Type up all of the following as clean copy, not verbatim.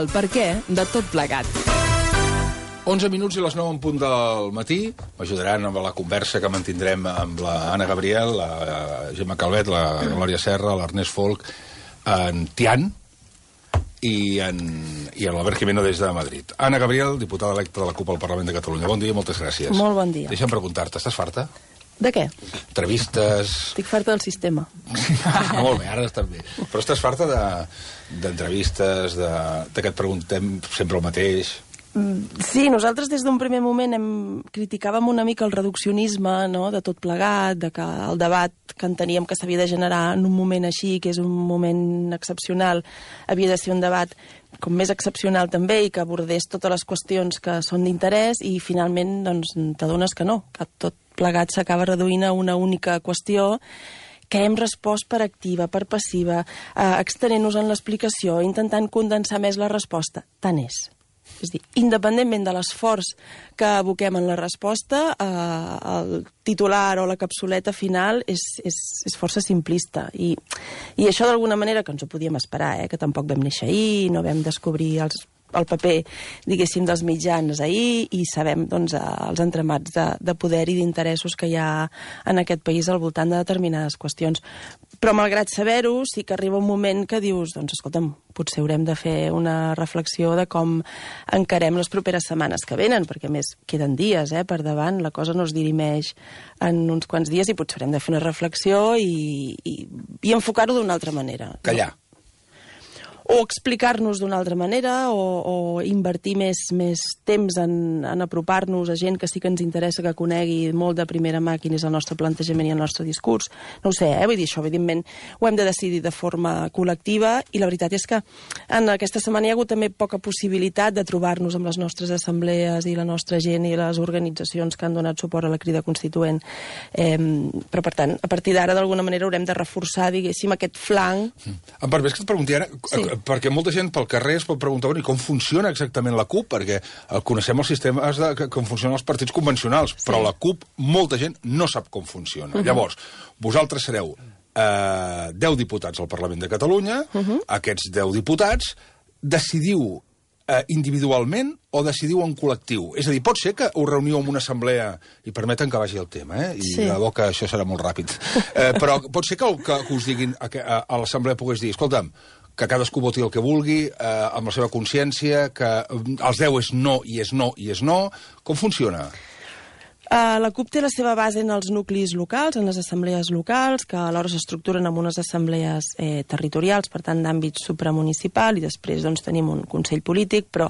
el perquè de tot plegat. 11 minuts i les 9 en punt del matí. M'ajudaran amb la conversa que mantindrem amb la Anna Gabriel, la Gemma Calvet, la Glòria Serra, l'Ernest Folk, en Tian i l'Albert Jimeno des de Madrid. Anna Gabriel, diputada electa de la CUP al Parlament de Catalunya. Bon dia i moltes gràcies. Molt bon dia. Deixa'm preguntar-te, estàs farta? De què? Entrevistes... Estic farta del sistema. Molt bé, ara estàs bé. Però estàs farta d'entrevistes, que et preguntem sempre el mateix... Sí, nosaltres des d'un primer moment criticàvem una mica el reduccionisme, no?, de tot plegat, de que el debat que enteníem que s'havia de generar en un moment així, que és un moment excepcional, havia de ser un debat com més excepcional també i que abordés totes les qüestions que són d'interès i finalment doncs, t'adones que no, que tot plegat s'acaba reduint a una única qüestió que hem respost per activa, per passiva, extenent-nos en l'explicació, intentant condensar més la resposta. Tant és. És a dir, independentment de l'esforç que aboquem en la resposta, el titular o la capsuleta final és força simplista. I això d'alguna manera que ens ho podíem esperar, que tampoc vam néixer ahir, no vam descobrir el paper, diguéssim, dels mitjans ahir i sabem doncs, els entramats de poder i d'interessos que hi ha en aquest país al voltant de determinades qüestions. Però malgrat saber-ho, sí que arriba un moment que dius, doncs escolta'm, potser haurem de fer una reflexió de com encarem les properes setmanes que venen, perquè a més queden dies per davant, la cosa no es dirimeix en uns quants dies i potser haurem de fer una reflexió i enfocar-ho d'una altra manera. Callar. O explicar-nos d'una altra manera, o invertir més temps en apropar-nos a gent que sí que ens interessa que conegui molt de primera mà quin és el nostre plantejament i el nostre discurs. No ho sé, vull dir, això evidentment ho hem de decidir de forma col·lectiva i la veritat és que en aquesta setmana hi ha hagut també poca possibilitat de trobar-nos amb les nostres assemblees i la nostra gent i les organitzacions que han donat suport a la Crida Constituent. Però, per tant, a partir d'ara, d'alguna manera, haurem de reforçar, diguéssim, aquest flanc. Em permets que et pregunti ara... Sí. Perquè molta gent pel carrer es pot preguntar i com funciona exactament la CUP, perquè coneixem els sistemes com funcionen els partits convencionals, sí. Però la CUP, molta gent no sap com funciona. Llavors, vosaltres sereu 10 diputats al Parlament de Catalunya, aquests 10 diputats decidiu individualment o decidiu en col·lectiu? És a dir, pot ser que us reuniu en una assemblea, i permeten que vagi el tema, i sí. De bo que això serà molt ràpid, però pot ser que us diguin a l'assemblea pogués dir, escolta'm, que cadascú voti el que vulgui, amb la seva consciència, que els 10 és no i és no i és no. Com funciona? La CUP té la seva base en els nuclis locals, en les assemblees locals, que alhora s'estructuren en unes assemblees territorials, per tant, d'àmbit supramunicipal, i després doncs, tenim un consell polític, però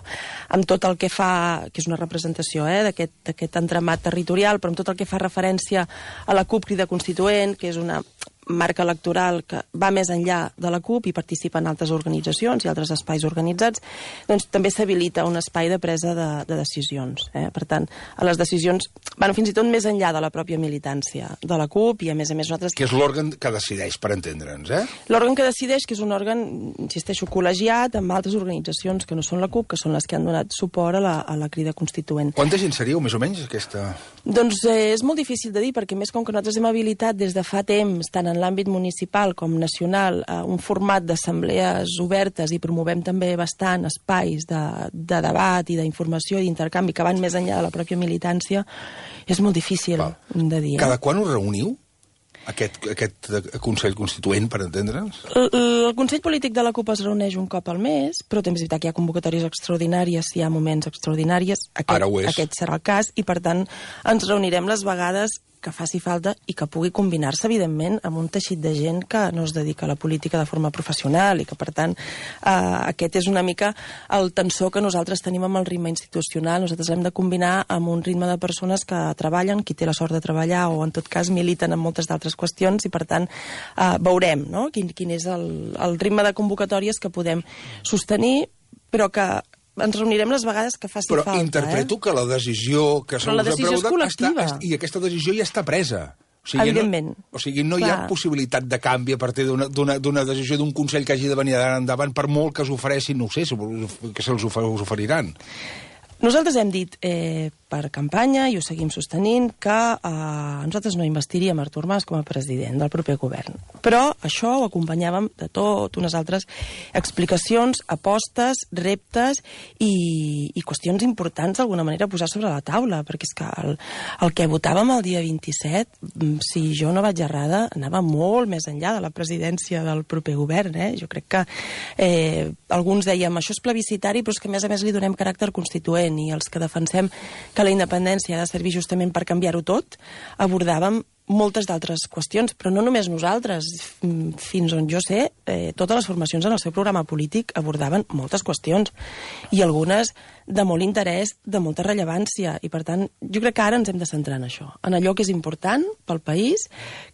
amb tot el que fa, que és una representació d'aquest entramat territorial, però amb tot el que fa referència a la CUP Crida Constituent, que és una marca electoral que va més enllà de la CUP i participa en altres organitzacions i altres espais organitzats, doncs també s'habilita un espai de presa de decisions. Per tant, a les decisions van fins i tot més enllà de la pròpia militància de la CUP i, a més nosaltres... Que és l'òrgan que decideix, per entendre'ns, L'òrgan que decideix, que és un òrgan, insisteixo, col·legiat amb altres organitzacions que no són la CUP, que són les que han donat suport a la Crida Constituent. Quanta gent seríeu, més o menys, aquesta...? Doncs és molt difícil de dir, perquè més com que nosaltres hem habilitat des de fa temps, tant en l'àmbit municipal com nacional, un format d'assemblees obertes i promovem també bastant espais de debat i d'informació i d'intercanvi que van més enllà de la pròpia militància, és molt difícil de dir. Cada quan us reuniu? Aquest Consell Constituent, per entendre'ns? El Consell Polític de la CUP es reuneix un cop al mes, però també és veritat que hi ha convocatòries extraordinàries, hi ha moments extraordinaris. Aquest serà el cas, i per tant ens reunirem les vegades que faci falta i que pugui combinar-se, evidentment, amb un teixit de gent que no es dedica a la política de forma professional i que, per tant, aquest és una mica el tensor que nosaltres tenim amb el ritme institucional. Nosaltres hem de combinar amb un ritme de persones que treballen, qui té la sort de treballar o, en tot cas, militen en moltes d'altres qüestions i, per tant, veurem quin és el ritme de convocatòries que podem sostenir, però que ens reunirem les vegades que faci falta. Però interpreto que la decisió que la decisió és col·lectiva. I aquesta decisió ja està presa. Evidentment. O sigui, no hi ha possibilitat de canvi a partir d'una decisió d'un Consell que hagi de venir endavant, per molt que s'ofereixin, no ho sé, que se'ls oferiran. Nosaltres hem dit per campanya i ho seguim sostenint, que nosaltres no investiríem Artur Mas com a president del proper govern. Però això ho acompanyàvem de tot unes altres explicacions, apostes, reptes i qüestions importants d'alguna manera a posar sobre la taula, perquè és que el que votàvem el dia 27, si jo no vaig errada, anava molt més enllà de la presidència del proper govern. Jo crec que alguns dèiem això és plebiscitari, però és que a més li donem caràcter constituent, i els que defensem que la independència ha de servir justament per canviar-ho tot, abordàvem moltes d'altres qüestions, però no només nosaltres. Fins on jo sé, totes les formacions en el seu programa polític abordaven moltes qüestions, i algunes de molt interès, de molta rellevància, i per tant jo crec que ara ens hem de centrar en això, en allò que és important pel país,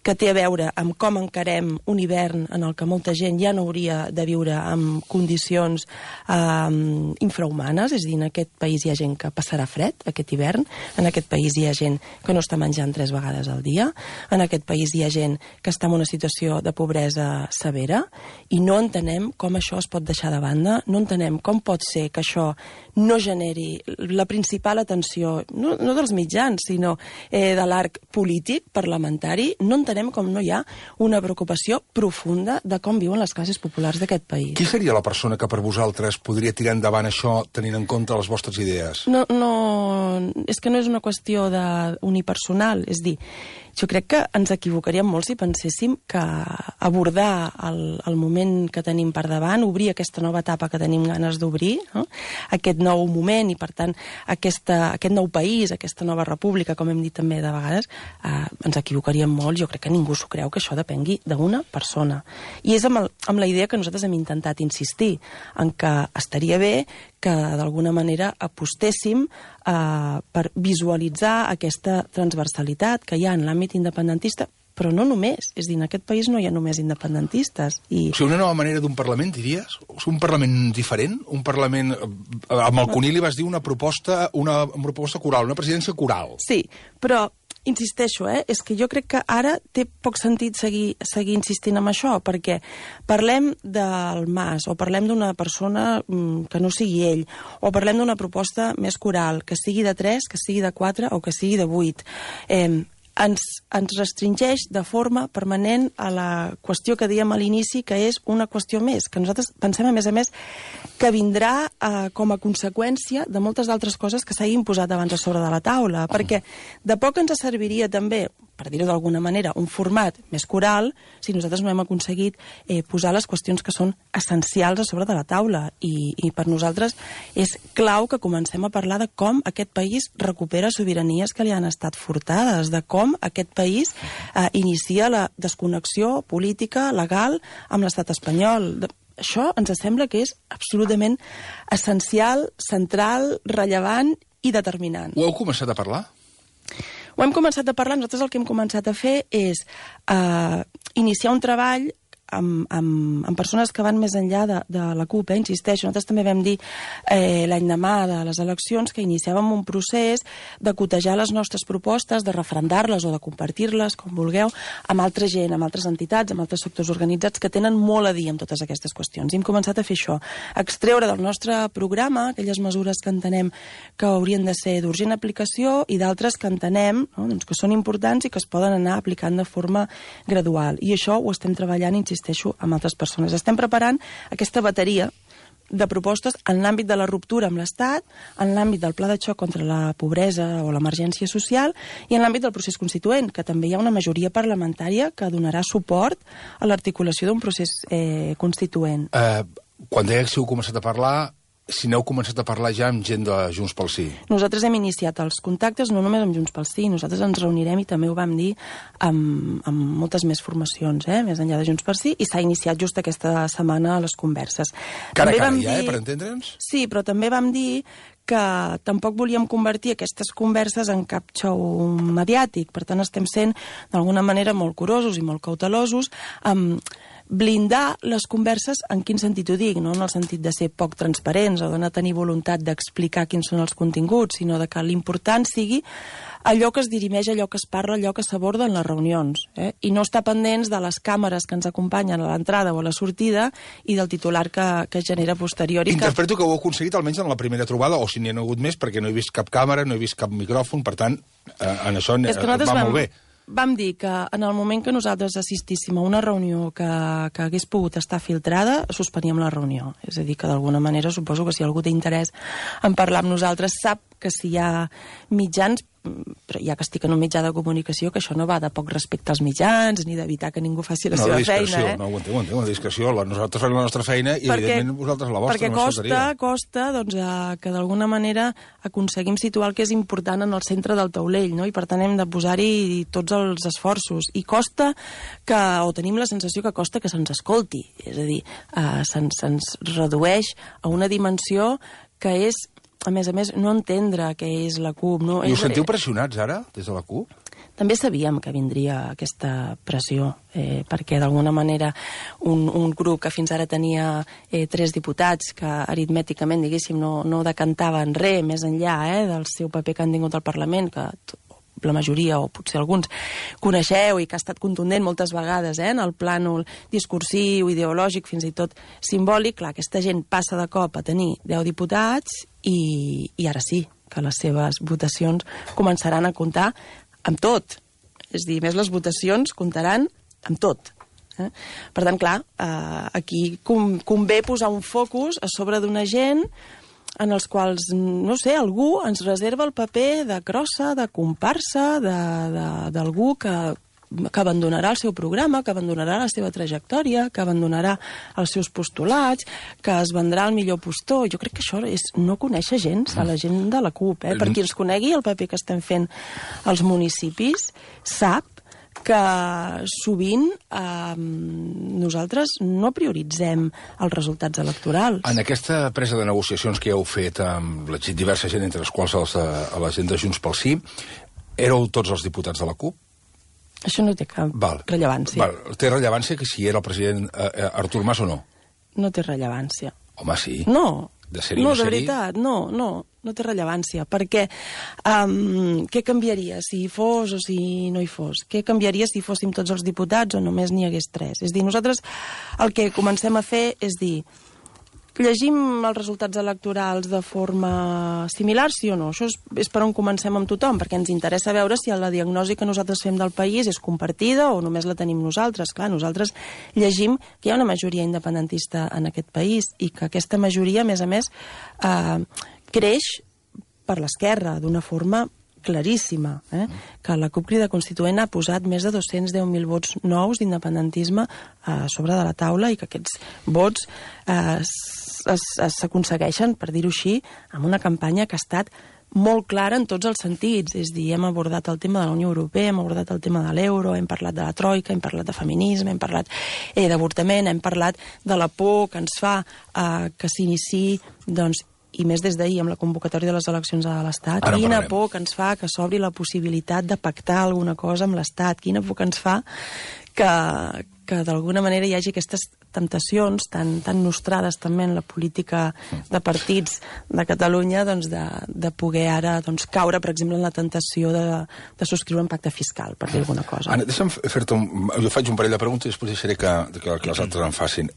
que té a veure amb com encarem un hivern en el que molta gent ja no hauria de viure en condicions infrahumanes, és a dir, en aquest país hi ha gent que passarà fred aquest hivern, en aquest país hi ha gent que no està menjant 3 vegades al dia, en aquest país hi ha gent que està en una situació de pobresa severa, i no entenem com això es pot deixar de banda, no entenem com pot ser que això no generi la principal atenció, no dels mitjans, sinó de l'arc polític, parlamentari. No entenem com no hi ha una preocupació profunda de com viuen les classes populars d'aquest país. Qui seria la persona que per vosaltres podria tirar endavant això tenint en compte les vostres idees? No, és que no és una qüestió unipersonal, és dir, jo crec que ens equivocaríem molt si penséssim que abordar el moment que tenim per davant, obrir aquesta nova etapa que tenim ganes d'obrir, no? Aquest nou moment i, per tant, aquest nou país, aquesta nova república, com hem dit també de vegades, ens equivocaríem molt. Jo crec que ningú s'ho creu que això depengui d'una persona. I és amb la idea que nosaltres hem intentat insistir, en que estaria bé que d'alguna manera apostéssim per visualitzar aquesta transversalitat que hi ha en l'àmbit independentista, però no només. És a dir, en aquest país no hi ha només independentistes. O sigui, una nova manera d'un Parlament, diries? Un Parlament diferent? Un Parlament... Amb el Cuní li vas dir una proposta coral, una presidència coral. Sí, però insisteixo, és que jo crec que ara té poc sentit seguir insistint en això, perquè parlem del Mas, o parlem d'una persona que no sigui ell, o parlem d'una proposta més coral, que sigui de 3, que sigui de 4 o que sigui de 8. Ens restringeix de forma permanent a la qüestió que dèiem a l'inici, que és una qüestió més, que nosaltres pensem, a més, que vindrà com a conseqüència de moltes altres coses que s'hagin posat abans a sobre de la taula, perquè de poc ens serviria també, per dir-ho d'alguna manera, un format més coral si nosaltres no hem aconseguit posar les qüestions que són essencials a sobre de la taula. I per nosaltres és clau que comencem a parlar de com aquest país recupera sobiranies que li han estat furtades, de com aquest país inicia la desconnexió política, legal, amb l'estat espanyol. Això ens sembla que és absolutament essencial, central, rellevant i determinant. Ho heu començat a parlar? Ho hem començat a parlar. Nosaltres el que hem començat a fer és iniciar un treball amb persones que van més enllà de la CUP, insisteixo. Nosaltres també vam dir l'endemà de les eleccions que iniciàvem un procés de cotejar les nostres propostes, de referendar-les o de compartir-les, com vulgueu, amb altra gent, amb altres entitats, amb altres sectors organitzats que tenen molt a dir en totes aquestes qüestions. I hem començat a fer això, extreure del nostre programa aquelles mesures que entenem que haurien de ser d'urgent aplicació i d'altres que entenem que són importants i que es poden anar aplicant de forma gradual. I això ho estem treballant, insisteixo, amb altres persones. Estem preparant aquesta bateria de propostes en l'àmbit de la ruptura amb l'Estat, en l'àmbit del pla de xoc contra la pobresa o l'emergència social i en l'àmbit del procés constituent, que també hi ha una majoria parlamentària que donarà suport a l'articulació d'un procés constituent. Quan deies que heu començat a parlar, si n'heu començat a parlar ja amb gent de Junts pel Sí. Nosaltres hem iniciat els contactes no només amb Junts pel Sí, nosaltres ens reunirem, i també ho vam dir, amb moltes més formacions, més enllà de Junts pel Sí, i s'ha iniciat just aquesta setmana les converses. Cara a cara ja, per entendre'ns? Sí, però també vam dir que tampoc volíem convertir aquestes converses en cap xou mediàtic. Per tant, estem sent, d'alguna manera, molt curosos i molt cautelosos amb blindar les converses, en quin sentit ho dic, no en el sentit de ser poc transparents o de no tenir voluntat d'explicar quins són els continguts, sinó de que l'important sigui allò que es dirimeix, allò que es parla, allò que s'aborda en les reunions, i no estar pendents de les càmeres que ens acompanyen a l'entrada o a la sortida i del titular que genera posterior. Interpreto que ho heu aconseguit almenys en la primera trobada, o si n'hi ha hagut més, perquè no he vist cap càmera, no he vist cap micròfon, per tant, en això va molt bé. Vam dir que en el moment que nosaltres assistíssim a una reunió que hagués pogut estar filtrada, suspeníem la reunió. És a dir, que d'alguna manera suposo que si algú té interès en parlar amb nosaltres sap que si hi ha mitjans, però ja que estic en un mitjà de comunicació, que això no va de poc respecte als mitjans, ni d'evitar que ningú faci la seva feina. No, ho entenc, una discreció. Nosaltres fem la nostra feina i, evidentment, vosaltres la vostra. Perquè costa que d'alguna manera aconseguim situar el que és important en el centre del taulell, no? I per tant hem de posar-hi tots els esforços. I costa o tenim la sensació que costa que se'ns escolti. És a dir, se'ns redueix a una dimensió que és, a més, no entendre què és la CUP. No? I us sentiu pressionats ara, des de la CUP? També sabíem que vindria aquesta pressió, perquè d'alguna manera un grup que fins ara tenia 3 diputats que aritmèticament, diguéssim, no decantaven res més enllà del seu paper que han tingut al Parlament, que la majoria, o potser alguns, coneixeu i que ha estat contundent moltes vegades en el plànol discursiu, ideològic, fins i tot simbòlic. Clar, aquesta gent passa de cop a tenir 10 diputats i ara sí, que les seves votacions començaran a comptar amb tot. És a dir, més les votacions comptaran amb tot. Per tant, clar, aquí convé posar un focus a sobre d'una gent en els quals, no sé, algú ens reserva el paper de crossa, de comparsa, d'algú que abandonarà el seu programa, que abandonarà la seva trajectòria, que abandonarà els seus postulats, que es vendrà al millor postor. Jo crec que això és no conèixer gens a la gent de la CUP. Per qui ens conegui el paper que estem fent als municipis, sap que sovint nosaltres no prioritzem els resultats electorals. En aquesta presa de negociacions que heu fet amb la diversa gent, entre les quals a la gent de Junts pel Sí, éreu tots els diputats de la CUP? Això no té cap rellevància. Té rellevància que si era el president Artur Mas o no? No té rellevància. Home, sí. No, de veritat, no té rellevància, perquè què canviaria si hi fos o si no hi fos? Què canviaria si fóssim tots els diputats o només n'hi hagués 3? És a dir, nosaltres el que comencem a fer és dir, llegim els resultats electorals de forma similar, sí o no? Això és per on comencem amb tothom, perquè ens interessa veure si la diagnosi que nosaltres fem del país és compartida o només la tenim nosaltres. Clar, nosaltres llegim que hi ha una majoria independentista en aquest país i que aquesta majoria, a més, creix per l'esquerra d'una forma claríssima, que la CUP Crida Constituent ha posat més de 210.000 vots nous d'independentisme a sobre de la taula i que aquests vots s'aconsegueixen, per dir-ho així, amb una campanya que ha estat molt clara en tots els sentits. És a dir, hem abordat el tema de la Unió Europea, hem abordat el tema de l'euro, hem parlat de la troika, hem parlat de feminisme, hem parlat d'avortament, hem parlat de la por que ens fa que s'iniciï, doncs, i més des d'ahir amb la convocatòria de les eleccions a l'Estat. Quina por que ens fa que s'obri la possibilitat de pactar alguna cosa amb l'Estat. Quina por que ens fa que d'alguna manera hi hagi aquestes temptacions tan nostrades també en la política de partits de Catalunya, doncs, de poder ara caure, per exemple, en la tentació de subscriure un pacte fiscal, per dir alguna cosa. Anna, deixa'm fer-te jo faig un parell de preguntes i després deixaré que les altres en facin.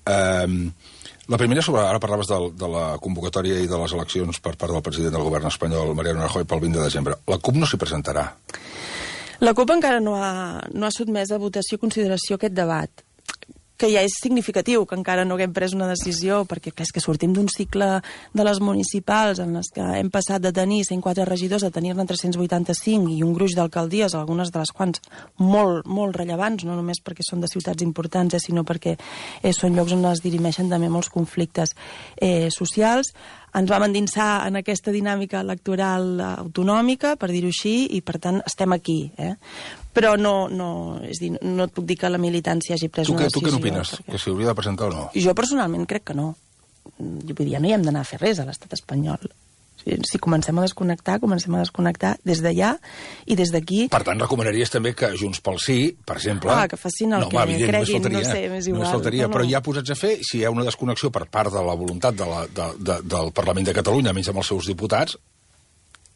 La primera sobre, ara parlaves de la convocatòria i de les eleccions per part del president del govern espanyol, Mariano Rajoy, pel 20 de desembre. La CUP no s'hi presentarà? La CUP encara no ha sotmès a votació i consideració aquest debat, que ja és significatiu que encara no haguem pres una decisió, perquè clar, és que sortim d'un cicle de les municipals en les que hem passat de tenir 104 regidors a tenir-ne 385 i un gruix d'alcaldies, algunes de les quals molt, molt rellevants, no només perquè són de ciutats importants, sinó perquè són llocs on es dirimeixen també molts conflictes socials. Ens vam endinsar en aquesta dinàmica electoral autonòmica, per dir-ho així, i per tant estem aquí. Però és dir, no et puc dir que la militància hagi pres una decisió. Tu què n'opines? Que s'hi hauria de presentar o no? Jo personalment crec que no. Vull dir, ja no hi hem d'anar a fer res a l'estat espanyol. Si comencem a desconnectar des d'allà i des d'aquí... Per tant, recomanaries també que Junts pel Sí, per exemple... que facin el que creguin, no sé, més igual. Només faltaria, però ja posats a fer, si hi ha una desconnexió per part de la voluntat del Parlament de Catalunya, menys amb els seus diputats...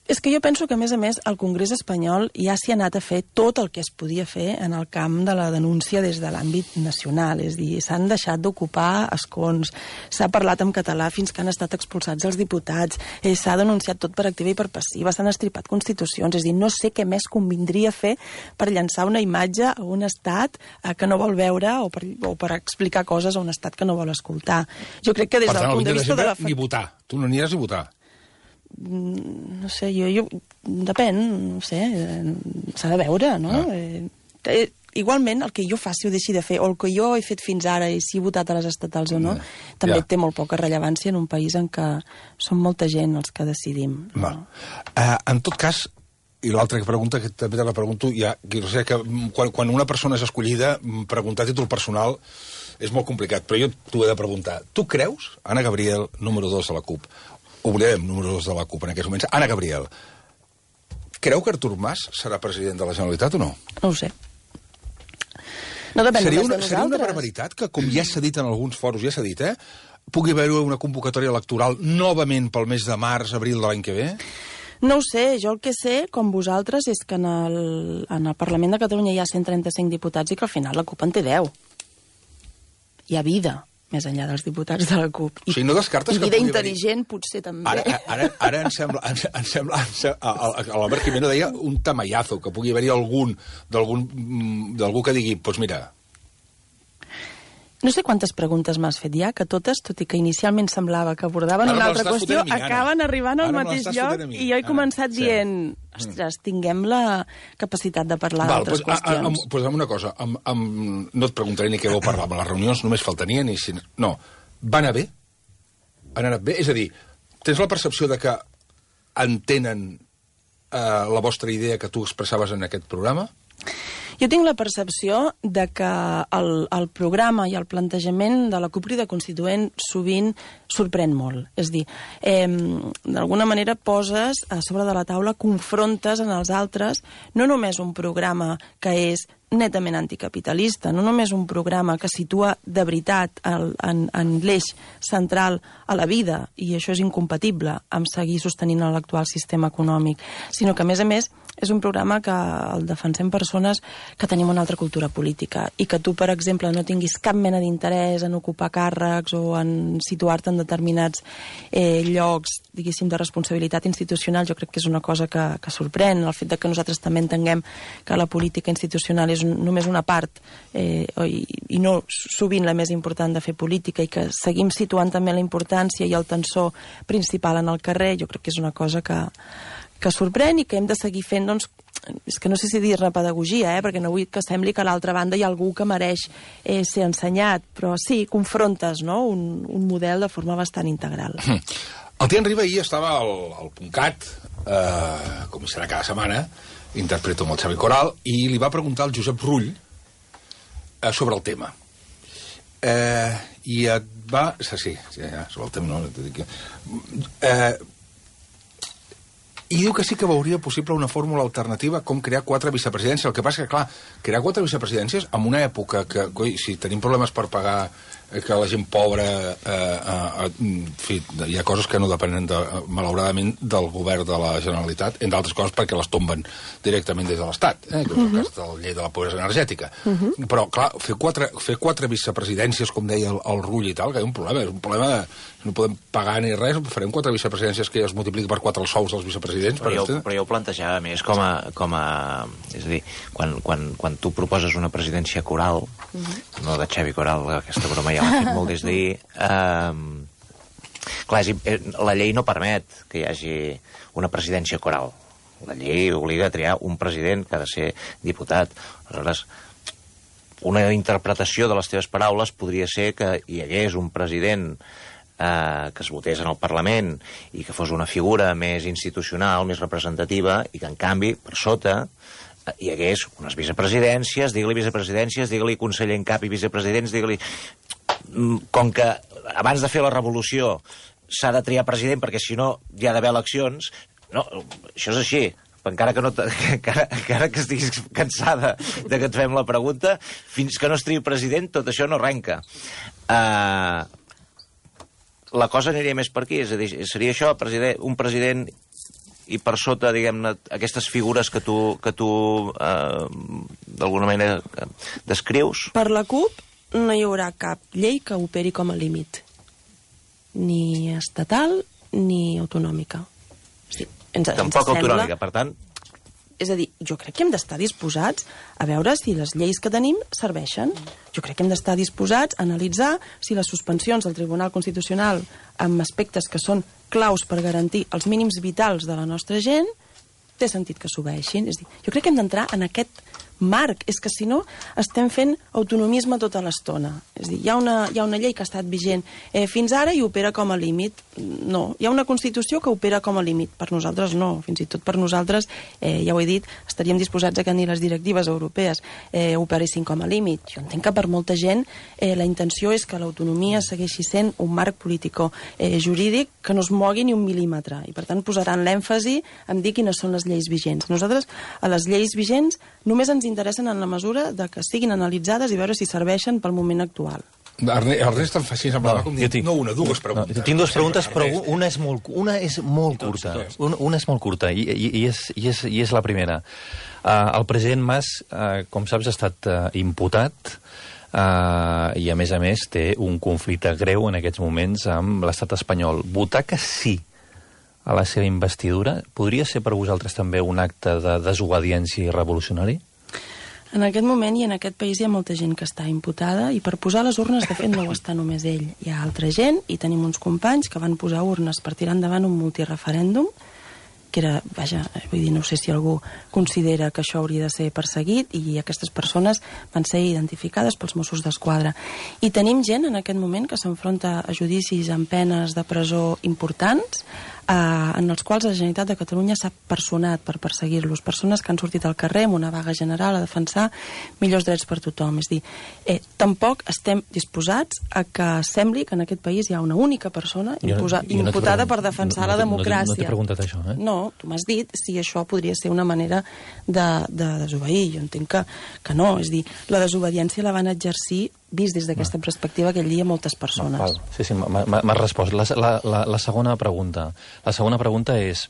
És que jo penso que, a més, el Congrés espanyol ja s'hi ha anat a fer tot el que es podia fer en el camp de la denúncia des de l'àmbit nacional. És a dir, s'han deixat d'ocupar escons, s'ha parlat en català fins que han estat expulsats els diputats, s'ha denunciat tot per activa i per passiva, s'han estripat constitucions. És a dir, no sé què més convindria fer per llançar una imatge a un estat que no vol veure o per explicar coses a un estat que no vol escoltar. Jo crec que des del punt de vista de la... ni votar. Tu no aniràs a votar. No sé, jo depèn, no sé, s'ha de veure, no? Igualment, el que jo faci o deixi de fer, o el que jo he fet fins ara, i si he votat a les estatals o no, també té molt poca rellevància en un país en què som molta gent els que decidim. En tot cas, i l'altra pregunta, que també te la pregunto, que quan una persona és escollida, preguntar a títol personal és molt complicat, però jo t'ho he de preguntar. Tu creus, Anna Gabriel, número 2 de la CUP, oblidem número 2 de la CUP en aquests moments, Anna Gabriel, creu que Artur Mas serà president de la Generalitat o no? No ho sé. No depèn només de nosaltres. Seria una barbaritat que, com ja s'ha dit en alguns foros, pugui haver una convocatòria electoral novament pel mes de març, abril de l'any que ve? No ho sé, jo el que sé, com vosaltres, és que en el Parlament de Catalunya hi ha 135 diputats i que al final la CUP en té 10. Hi ha vida més enllà dels diputats de la CUP. O sigui, no descartes que vida intel·ligent, potser també. Ara em sembla l'Albert Jimeno deia un tamallazo, que pugui haver-hi d'algú que digui, doncs mira... No sé quantes preguntes m'has fet ja, que totes, tot i que inicialment semblava que abordaven una altra qüestió, acaben arribant al mateix lloc, i jo he començat dient, ostres, tinguem la capacitat de parlar d'altres qüestions. Doncs una cosa, no et preguntaré ni què vau parlar, amb les reunions només faltaria ni... No, va anar bé? Han anat bé? És a dir, tens la percepció de que entenen la vostra idea que tu expressaves en aquest programa? Jo tinc la percepció de que el programa i el plantejament de la CUP Crida Constituent sovint sorprèn molt. És a dir, d'alguna manera poses a sobre de la taula, confrontes en els altres, no només un programa que és netament anticapitalista, no només un programa que situa de veritat en l'eix central a la vida, i això és incompatible amb seguir sostenint l'actual sistema econòmic, sinó que, a més, és un programa que el defensem persones que tenim una altra cultura política i que tu, per exemple, no tinguis cap mena d'interès en ocupar càrrecs o en situar-te en determinats llocs, diguéssim, de responsabilitat institucional. Jo crec que és una cosa que sorprèn, el fet de que nosaltres també entenguem que la política institucional és només una part i no sovint la més important de fer política, i que seguim situant també la importància i el tensor principal en el carrer. Jo crec que és una cosa que sorprèn i que hem de seguir fent, doncs, és que no sé si dir-ne pedagogia, perquè no vull que sembli que a l'altra banda hi ha algú que mereix ser ensenyat, però sí, confrontes, no?, un model de forma bastant integral. El Tian Riba ahir estava al PUNCAT, com serà cada setmana, interpreto amb el Xavi Coral, i li va preguntar al Josep Rull sobre el tema. I et va... Sí, sobre el tema no... I diu que sí que veuria possible una fórmula alternativa com crear 4 vicepresidències. El que passa que, clar, crear 4 vicepresidències en una època que, si tenim problemes per pagar que la gent pobra... en fi, hi ha coses que no depenen, malauradament, del govern de la Generalitat, entre altres coses perquè les tomben directament des de l'Estat, que és el cas de la llei de la pobresa energètica. Però, clar, fer 4 vicepresidències, com deia el Rull i tal, que hi ha un problema. És un problema de... No podem pagar ni res, farem 4 vicepresidències que ja es multipliqui per 4 els sous dels vicepresidents. Però jo ho plantejava més com a... És a dir, quan tu proposes una presidència coral, no de Xavi Coral, aquesta broma ja l'ha fet molt des d'ahir, clar, la llei no permet que hi hagi una presidència coral. La llei obliga a triar un president que ha de ser diputat. Aleshores, una interpretació de les teves paraules podria ser que hi hagués un president que es votés en el Parlament i que fos una figura més institucional, més representativa, i que, en canvi, per sota hi hagués unes vicepresidències, digue-li vicepresidències, digue-li conseller en cap i vicepresidents, digue-li... Com que abans de fer la revolució s'ha de triar president perquè si no hi ha d'haver eleccions. No, això és així. Encara que estiguis cansada de que et fem la pregunta, fins que no es triï president, tot això no arrenca. La cosa aniria més per aquí, és a dir, seria això, un president i per sota, diguem-ne, aquestes figures que tu d'alguna manera descrius? Per la CUP no hi haurà cap llei que operi com a límit, ni estatal ni autonòmica. Tampoc autonòmica, per tant... És a dir, jo crec que hem d'estar disposats a veure si les lleis que tenim serveixen. Jo crec que hem d'estar disposats a analitzar si les suspensions del Tribunal Constitucional amb aspectes que són claus per garantir els mínims vitals de la nostra gent té sentit que s'obeeixin. És a dir, jo crec que hem d'entrar en aquest marc. És que si no estem fent autonomisme tota l'estona. És a dir, hi ha una llei que ha estat vigent fins ara i opera com a límit. No, hi ha una Constitució que opera com a límit. Per nosaltres no, fins i tot per nosaltres, ja ho he dit, estaríem disposats a que ni les directives europees operessin com a límit. Jo entenc que per molta gent la intenció és que l'autonomia segueixi sent un marc político-jurídic que no es mogui ni un mil·límetre i per tant posaran l'èmfasi en dir quines són les lleis vigents. Nosaltres, a les lleis vigents, només ens interessen en la mesura de que siguin analitzades i veure si serveixen pel moment actual. Ernest em fa així, semblava com dir, dues preguntes. Tinc dues preguntes, però una és molt curta. Una és molt curta, i és la primera. El president Mas, com saps, ha estat imputat i, a més, té un conflicte greu en aquests moments amb l'estat espanyol. Votar que sí a la seva investidura podria ser per vosaltres també un acte de desobediència i revolucionari? En aquest moment i en aquest país hi ha molta gent que està imputada i per posar les urnes, de fet, no ho està només ell. Hi ha altra gent i tenim uns companys que van posar urnes per tirar endavant un multireferèndum que era, vaja, vull dir, no sé si algú considera que això hauria de ser perseguit i aquestes persones van ser identificades pels Mossos d'Esquadra. I tenim gent en aquest moment que s'enfronta a judicis amb penes de presó importants en els quals la Generalitat de Catalunya s'ha personat per perseguir-los. Persones que han sortit al carrer amb una vaga general a defensar millors drets per tothom. És a dir, tampoc estem disposats a que sembli que en aquest país hi ha una única persona imputada per defensar la democràcia. No t'he preguntat això, eh? No, tu m'has dit si això podria ser una manera de desobeir. Jo entenc que no. És a dir, la desobediència la van exercir, vist des d'aquesta perspectiva, aquell dia moltes persones. Sí, m'has respost. La segona pregunta. La segona pregunta és,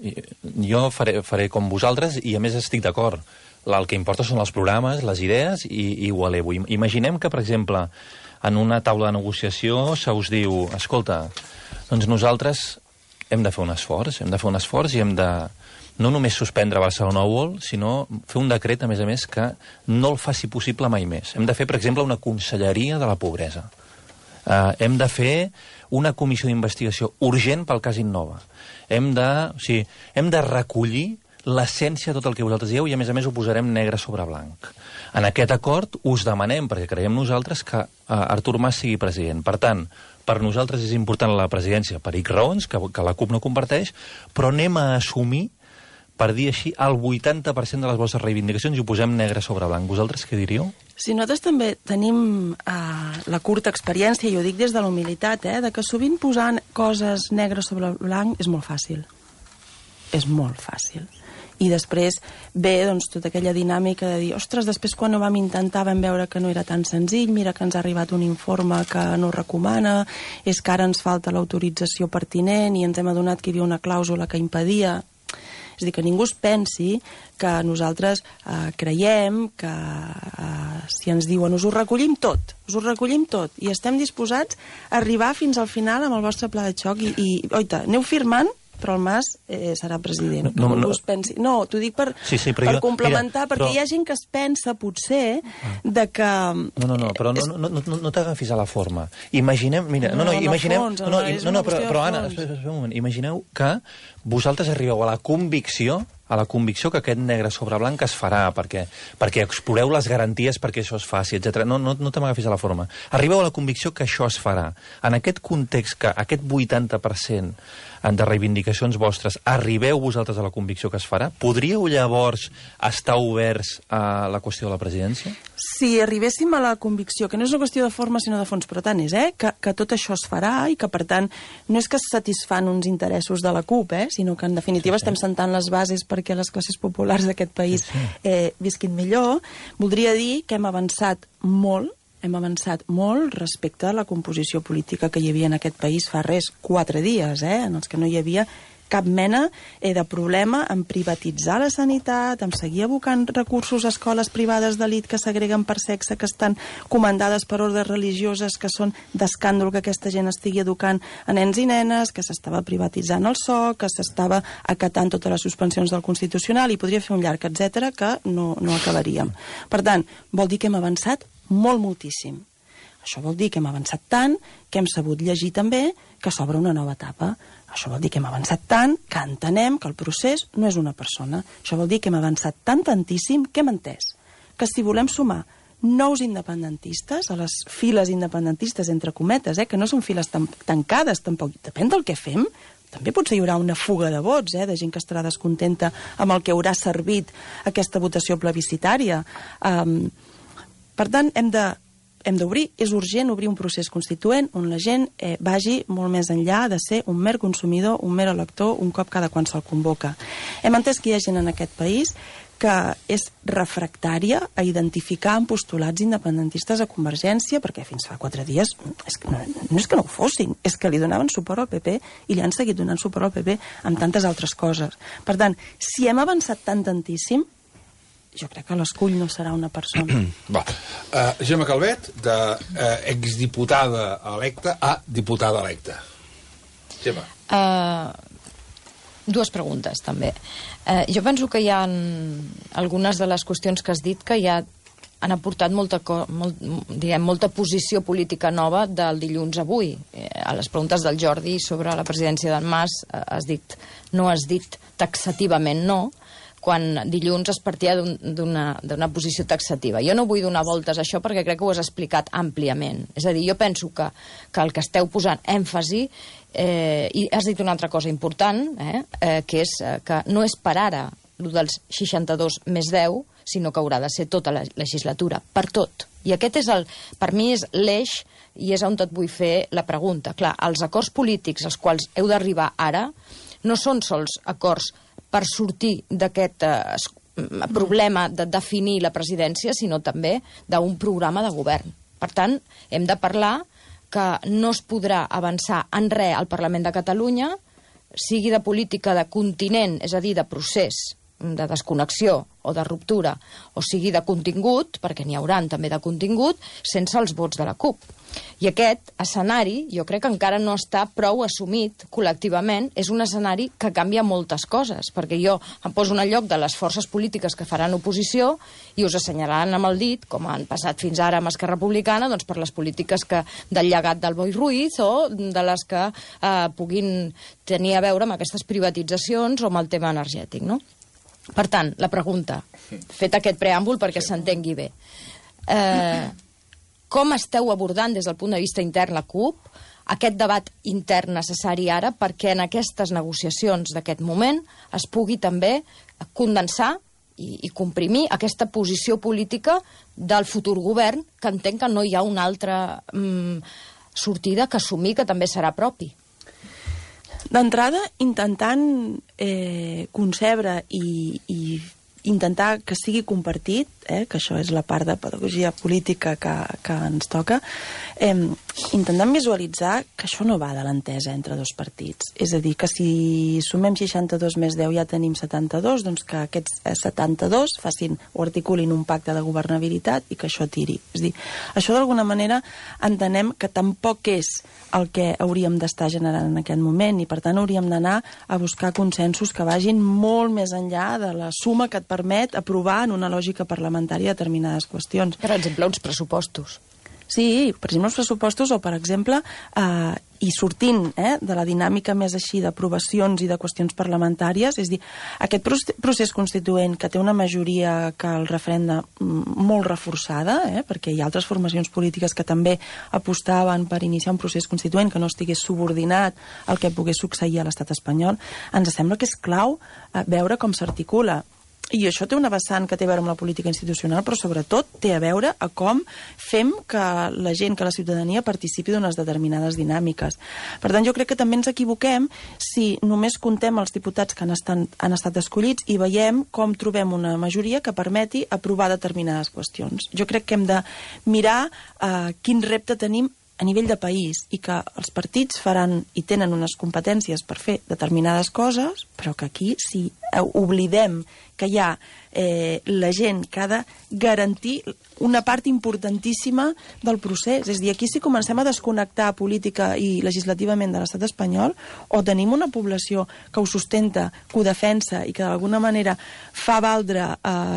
jo faré com vosaltres i a més estic d'acord. El que importa són els programes, les idees i ho elevo. Imaginem que, per exemple, en una taula de negociació se us diu, escolta, doncs nosaltres hem de fer un esforç i hem de no només suspendre Barcelona World, sinó fer un decret, a més, que no el faci possible mai més. Hem de fer, per exemple, una conselleria de la pobresa. Hem de fer una comissió d'investigació urgent pel cas Innova. Hem de recollir l'essència de tot el que vosaltres dieu i, a més, ho posarem negre sobre blanc. En aquest acord us demanem, perquè creiem nosaltres, que Artur Mas sigui president. Per tant, per nosaltres és important la presidència per X raons, que la CUP no comparteix, però anem a assumir, per dir així, el 80% de les vostres reivindicacions i ho posem negre sobre blanc. Vosaltres què diríeu? Sí, nosaltres també tenim la curta experiència, i ho dic des de la humilitat, de que sovint posant coses negre sobre blanc és molt fàcil. És molt fàcil. I després ve doncs, tota aquella dinàmica de dir, ostres, després quan ho vam intentar vam veure que no era tan senzill, mira que ens ha arribat un informe que no recomana, és que ara ens falta l'autorització pertinent i ens hem adonat que hi havia una clàusula que impedia. És a dir, que ningú es pensi que nosaltres creiem que si ens diuen us ho recollim tot i estem disposats a arribar fins al final amb el vostre pla de xoc i oita, aneu firmant, però el Mas serà president. No, t'ho dic per complementar, perquè hi ha gent que es pensa, potser, de que... Però no t'agafis a la forma. Imaginem... Però Anna, espera un moment. Imagineu que vosaltres arribeu a la convicció a la convicció que aquest negre sobre blanc es farà, perquè exploreu les garanties perquè això es faci, etc. No te m'agafis a la forma. Arribeu a la convicció que això es farà. En aquest context, que aquest 80% de reivindicacions vostres, arribeu vosaltres a la convicció que es farà? Podríeu llavors estar oberts a la qüestió de la presidència? Si arribéssim a la convicció, que no és una qüestió de forma sinó de fons, però tant és, que tot això es farà i que, per tant, no és que es satisfan uns interessos de la CUP, sinó que, en definitiva, estem sentant les bases perquè les classes populars d'aquest país visquin millor, voldria dir que hem avançat molt respecte a la composició política que hi havia en aquest país fa 4 dies, en els que no hi havia cap mena de problema en privatitzar la sanitat, en seguir abocant recursos a escoles privades d'elit que segreguen per sexe, que estan comandades per ordres religioses, que són d'escàndol que aquesta gent estigui educant a nens i nenes, que s'estava privatitzant el SOC, que s'estava acatant totes les suspensions del Constitucional, i podria fer un llarg etcètera que no acabaríem. Per tant, vol dir que hem avançat moltíssim. Això vol dir que hem avançat tant que hem sabut llegir també que s'obre una nova etapa. Això vol dir que hem avançat tant que entenem que el procés no és una persona. Això vol dir que hem avançat tantíssim que hem entès que si volem sumar nous independentistes a les files independentistes, entre cometes, que no són files tancades tampoc, depèn del que fem, també potser hi haurà una fuga de vots, de gent que estarà descontenta amb el que haurà servit aquesta votació plebiscitària. Per tant, hem d'obrir, és urgent obrir un procés constituent on la gent vagi molt més enllà de ser un mer consumidor, un mer elector, un cop cada quan se'l convoca. Hem entès que hi ha gent en aquest país que és refractària a identificar amb postulats independentistes a Convergència, perquè fins fa 4 dies no és que no ho fossin, és que li donaven suport al PP i li han seguit donant suport al PP amb tantes altres coses. Per tant, si hem avançat tantíssim, jo crec que l'escull no serà una persona. Gemma Calvet, d'exdiputada electa a diputada electa. Gemma. 2 preguntes, també. Jo penso que hi ha algunes de les qüestions que has dit que ja han aportat molta posició política nova del dilluns a avui. A les preguntes del Jordi sobre la presidència d'en Mas no has dit taxativament no, quan dilluns es partia d'una posició taxativa. Jo no vull donar voltes a això perquè crec que ho has explicat àmpliament. És a dir, jo penso que el que esteu posant èmfasi, i has dit una altra cosa important, que és que no és per ara el dels 62 més 10, sinó que haurà de ser tota la legislatura, per tot. I aquest per mi és l'eix i és on et vull fer la pregunta. Clar, els acords polítics als quals heu d'arribar ara no són sols acords per sortir d'aquest problema de definir la presidència, sinó també d'un programa de govern. Per tant, hem de parlar que no es podrà avançar en res al Parlament de Catalunya, sigui de política de continent, és a dir, de procés, de desconnexió o de ruptura, o sigui de contingut, perquè n'hi hauran també de contingut, sense els vots de la CUP. I aquest escenari, jo crec que encara no està prou assumit col·lectivament, és un escenari que canvia moltes coses, perquè jo em poso en el lloc de les forces polítiques que faran oposició i us assenyalaran amb el dit, com han passat fins ara amb Esquerra Republicana, doncs per les polítiques del llegat del Boi Ruiz o de les que puguin tenir a veure amb aquestes privatitzacions o amb el tema energètic, no? Per tant, la pregunta, fet aquest preàmbul perquè s'entengui bé, com esteu abordant des del punt de vista intern la CUP aquest debat intern necessari ara perquè en aquestes negociacions d'aquest moment es pugui també condensar i comprimir aquesta posició política del futur govern, que entenc que no hi ha una altra sortida que assumir que també serà propi? D'entrada, intentant concebre i intentar que sigui compartit, que això és la part de pedagogia política que ens toca, intentant visualitzar que això no va de l'entesa entre dos partits. És a dir, que si sumem 62 més 10 ja tenim 72, doncs que aquests 72 facin o articulin un pacte de governabilitat i que això tiri. És a dir, això d'alguna manera entenem que tampoc és el que hauríem d'estar generant en aquest moment i per tant hauríem d'anar a buscar consensos que vagin molt més enllà de la suma que et permet aprovar en una lògica parlamentària determinades qüestions. Per exemple, uns pressupostos. Sí, per exemple, els pressupostos o, per exemple, i sortint de la dinàmica més així d'aprovacions i de qüestions parlamentàries, és a dir, aquest procés constituent que té una majoria que el referenda molt reforçada, perquè hi ha altres formacions polítiques que també apostaven per iniciar un procés constituent que no estigués subordinat al que pogués succeir a l'estat espanyol, ens sembla que és clau veure com s'articula. I això té una vessant que té a veure amb la política institucional, però sobretot té a veure a com fem que la gent, que la ciutadania participi d'unes determinades dinàmiques. Per tant, jo crec que també ens equivoquem si només contem els diputats que han estat escollits i veiem com trobem una majoria que permeti aprovar determinades qüestions. Jo crec que hem de mirar quin repte tenim a nivell de país i que els partits faran i tenen unes competències per fer determinades coses, però que aquí, si oblidem que hi ha la gent que ha de garantir una part importantíssima del procés. És a dir, aquí si comencem a desconnectar política i legislativament de l'estat espanyol, o tenim una població que ho sustenta, que ho defensa i que d'alguna manera fa valdre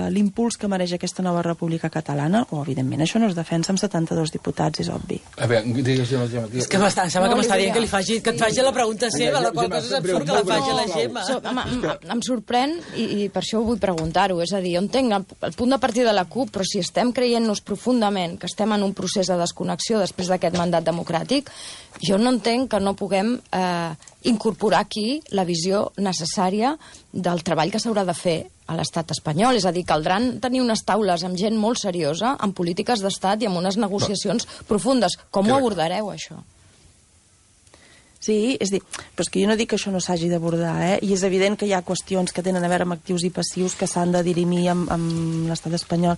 l'impuls que mereix aquesta nova república catalana, o evidentment això no es defensa amb 72 diputats, és obvi. A veure, digues, Gemma. És que sembla que m'està dient que et faci la pregunta seva, la qual cosa és absurd que la faci la Gemma. Em sorprèn, i per això vull preguntar-ho, és a dir, jo entenc el punt de partida de la CUP, però si estem creient-nos profundament que estem en un procés de desconnexió després d'aquest mandat democràtic, jo no entenc que no puguem incorporar aquí la visió necessària del treball que s'haurà de fer a l'estat espanyol. És a dir, caldran tenir unes taules amb gent molt seriosa, amb polítiques d'estat i amb unes negociacions profundes. Com ho abordareu, això? Sí, és dir, però és que jo no dic que això no s'hagi d'abordar, i és evident que hi ha qüestions que tenen a veure amb actius i passius que s'han de dirimir amb l'estat espanyol,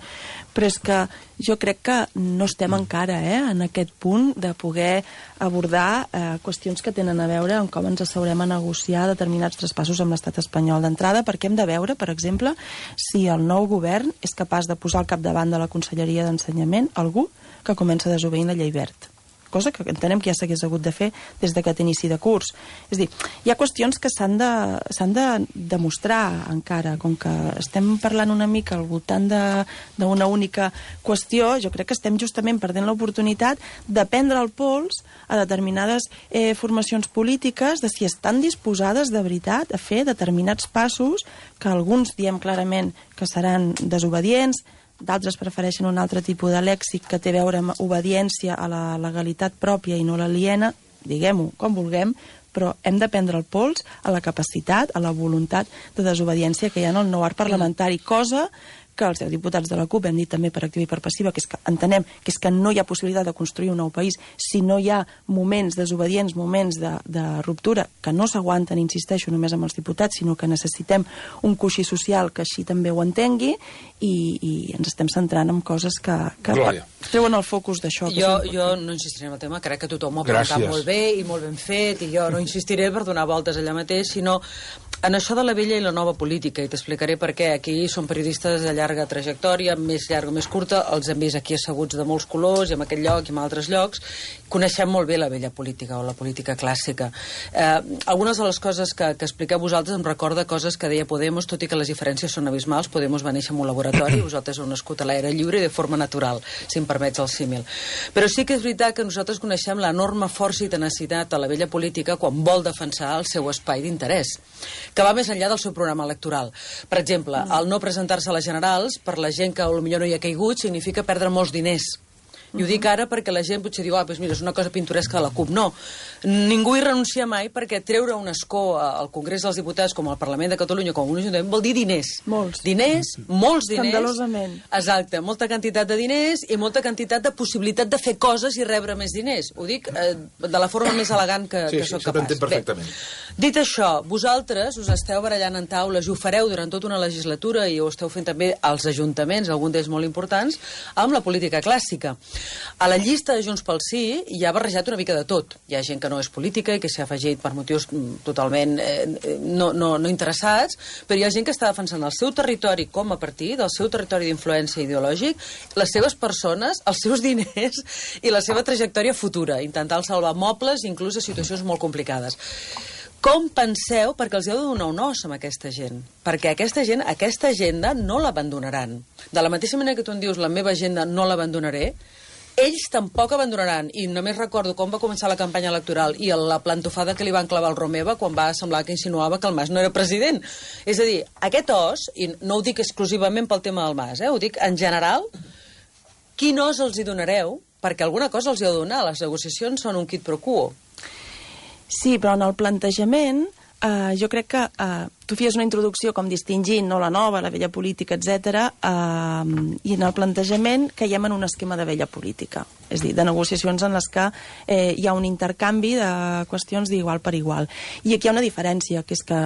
però és que jo crec que no estem encara en aquest punt de poder abordar qüestions que tenen a veure amb com ens asseurem a negociar determinats traspassos amb l'estat espanyol d'entrada, perquè hem de veure, per exemple, si el nou govern és capaç de posar al capdavant de la Conselleria d'Ensenyament algú que comença desobeint la llei Wert, cosa que entenem que ja s'hagués hagut de fer des d'aquest inici de curs. És a dir, hi ha qüestions que s'han de demostrar encara, com que estem parlant una mica al voltant d'una única qüestió, jo crec que estem justament perdent l'oportunitat de prendre el pols a determinades formacions polítiques de si estan disposades de veritat a fer determinats passos que alguns diem clarament que seran desobedients, d'altres prefereixen un altre tipus de lèxic que té a veure amb obediència a la legalitat pròpia i no l'aliena, diguem-ho com vulguem, però hem de prendre el pols a la capacitat, a la voluntat de desobediència que hi ha en el nou art parlamentari, cosa que els 10 diputats de la CUP hem dit també per activa i per passiva, que és que entenem que és que no hi ha possibilitat de construir un nou país si no hi ha moments desobedients, moments de ruptura, que no s'aguanten, insisteixo, només amb els diputats, sinó que necessitem un coixí social que així també ho entengui, i ens estem centrant en coses que treuen el focus d'això. Jo no insistiré en el tema, crec que tothom ho ha preguntat molt bé i molt ben fet, i jo no insistiré per donar voltes allà mateix, sinó en això de la vella i la nova política, i t'explicaré per què. Aquí són periodistes de llarga trajectòria, més llarga o més curta, els hem vist aquí asseguts de molts colors, i en aquest lloc i en altres llocs. Coneixem molt bé la vella política o la política clàssica. Algunes de les coses que expliqueu vosaltres em recorda coses que deia Podemos, tot i que les diferències són abismals. Podemos va néixer en un laboratori, vosaltres heu nascut a l'aire lliure i de forma natural, si em permets el símil. Però sí que és veritat que nosaltres coneixem l'enorme força i tenacitat a la vella política quan vol defensar el seu espai d'interès, que va més enllà del seu programa electoral. Per exemple, el no presentar-se a les generals, per la gent que potser no hi ha caigut, significa perdre molts diners. I ho dic ara perquè la gent potser diu, doncs mira, és una cosa pintoresca de la CUP. No, ningú hi renuncia mai, perquè treure un escó al Congrés dels Diputats, com al Parlament de Catalunya, com un ajuntament, vol dir diners. Molts. Diners, molts diners. Escandalosament. Exacte, molta quantitat de diners i molta quantitat de possibilitat de fer coses i rebre més diners. Ho dic de la forma més elegant que sóc capaç. Sí, perfectament. Bé, dit això, vosaltres us esteu barallant en taules i ho fareu durant tota una legislatura i ho esteu fent també als ajuntaments, alguns d'ells molt importants, amb la política clàssica. A la llista de Junts pel Sí hi ha barrejat una mica de tot. Hi ha gent que no és política i que s'ha afegit per motius totalment no interessats, però hi ha gent que està defensant el seu territori com a partit, el seu territori d'influència ideològic, les seves persones, els seus diners i la seva trajectòria futura, intentant salvar mobles, inclús a situacions molt complicades. Com penseu, perquè els heu de donar un os amb aquesta gent, perquè aquesta gent, aquesta agenda no l'abandonaran. De la mateixa manera que tu em dius la meva agenda no l'abandonaré, ells tampoc abandonaran, i només recordo com va començar la campanya electoral i la plantofada que li van clavar al Romeva quan va semblar que insinuava que el Mas no era president. És a dir, aquest os, i no ho dic exclusivament pel tema del Mas, ho dic en general, quin os els hi donareu? Perquè alguna cosa els hi ha de donar, les negociacions són un quid pro quo. Sí, però en el plantejament jo crec que tu feies una introducció com distingint no, la nova, la vella política, etc. I en el plantejament caiem en un esquema de vella política, és a dir, de negociacions en les que hi ha un intercanvi de qüestions d'igual per igual. I aquí hi ha una diferència, que és que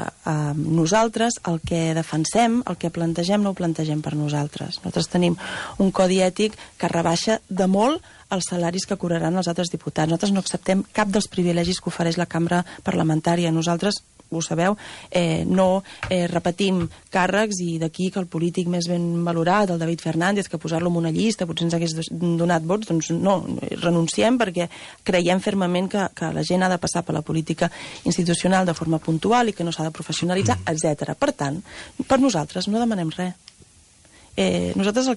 nosaltres el que defensem, el que plantegem, no ho plantegem per nosaltres. Nosaltres tenim un codi ètic que rebaixa de molt els salaris que cobraran els altres diputats. Nosaltres no acceptem cap dels privilegis que ofereix la cambra parlamentària. Nosaltres, ho sabeu, no repetim càrrecs, i d'aquí que el polític més ben valorat, el David Fernández, que posar-lo en una llista potser ens hagués donat vots, doncs no, renunciem perquè creiem fermament que la gent ha de passar per la política institucional de forma puntual i que no s'ha de professionalitzar, etc. Per tant, per nosaltres no demanem res. Nosaltres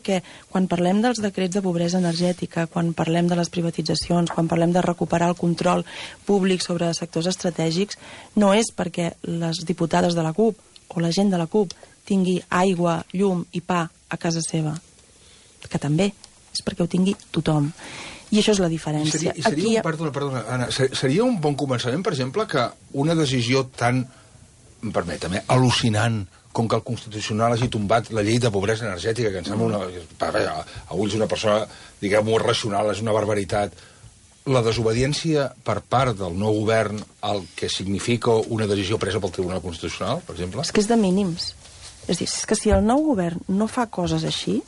quan parlem dels decrets de pobresa energètica, quan parlem de les privatitzacions, quan parlem de recuperar el control públic sobre sectors estratègics, no és perquè les diputades de la CUP o la gent de la CUP tingui aigua, llum i pa a casa seva, que també és perquè ho tingui tothom. I això és la diferència. Perdona, Anna, seria un bon començament, per exemple, que una decisió tan, permeta-me, al·lucinant com que el Constitucional hagi tombat la llei de pobresa energètica, que em sembla a ulls d'una persona, diguem-ho, racional, és una barbaritat. La desobediència per part del nou govern al que significa una decisió presa pel Tribunal Constitucional, per exemple? És que és de mínims. És a dir, és que si el nou govern no fa coses així,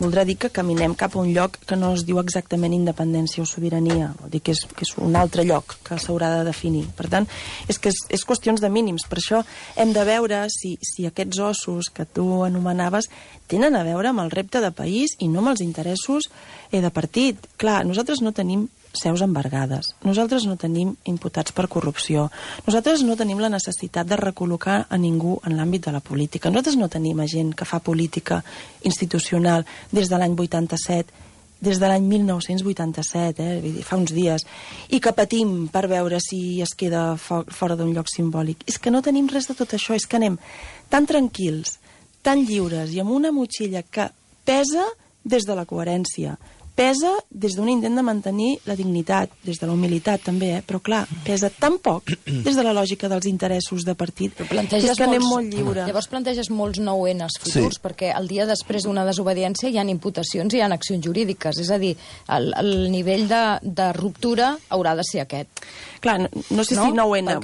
voldrà dir que caminem cap a un lloc que no es diu exactament independència o sobirania, vol dir que és un altre lloc que s'haurà de definir. Per tant, és qüestions de mínims. Per això hem de veure si aquests ossos que tu anomenaves tenen a veure amb el repte de país i no amb els interessos de partit. Clar, nosaltres no tenim seus embargades. Nosaltres no tenim imputats per corrupció. Nosaltres no tenim la necessitat de recol·locar a ningú en l'àmbit de la política. Nosaltres no tenim gent que fa política institucional des de l'any 87, des de l'any 1987, vull dir, fa uns dies, i que patim per veure si es queda fora d'un lloc simbòlic. És que no tenim res de tot això, és que anem tan tranquils, tan lliures i amb una motxilla que pesa des de la coherència, pesa des d'un intent de mantenir la dignitat, des de la humilitat també, però clar, pesa tan poc des de la lògica dels interessos de partit, que anem molt lliure. Llavors planteges molts 9Ns futurs, perquè el dia després d'una desobediència hi ha imputacions i hi ha accions jurídiques, és a dir, el nivell de ruptura haurà de ser aquest. Clar, no sé si 9N...